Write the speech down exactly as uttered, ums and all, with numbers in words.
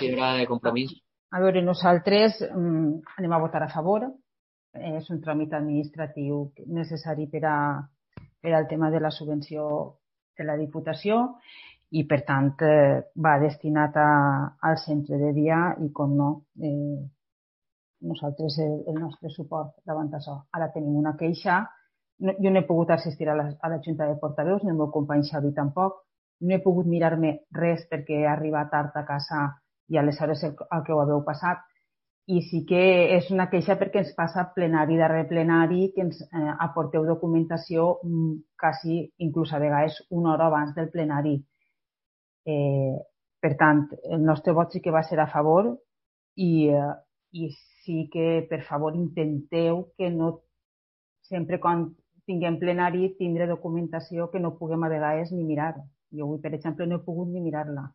considera de compromís? A veure, nosaltres mm, anem a votar a favor. És un tràmit administratiu necessari per, a, per al tema de la subvenció de la Diputació i, per tant, eh, va destinat a, al centre de dia i, com no, eh, nosaltres el, el nostre suport davant d'això. Ara tenim una queixa. No, jo no he pogut assistir a la, a la Junta de Portaveus, ni el meu company Xavi tampoc. No he pogut mirar-me res perquè he arribat tard a casa i aleshores el, el que ho haveu passat. I sí que és una queixa perquè ens passa plenari darrere plenari que ens eh, aporteu documentació mm, quasi, inclús a vegades, una hora abans del plenari. Eh, per tant, el nostre vot sí que va ser a favor i, eh, i sí que, per favor, intenteu que no sempre quan tinguem plenari tindre documentació que no puguem a vegades ni mirar. Jo avui, per exemple, no he pogut ni mirar-la.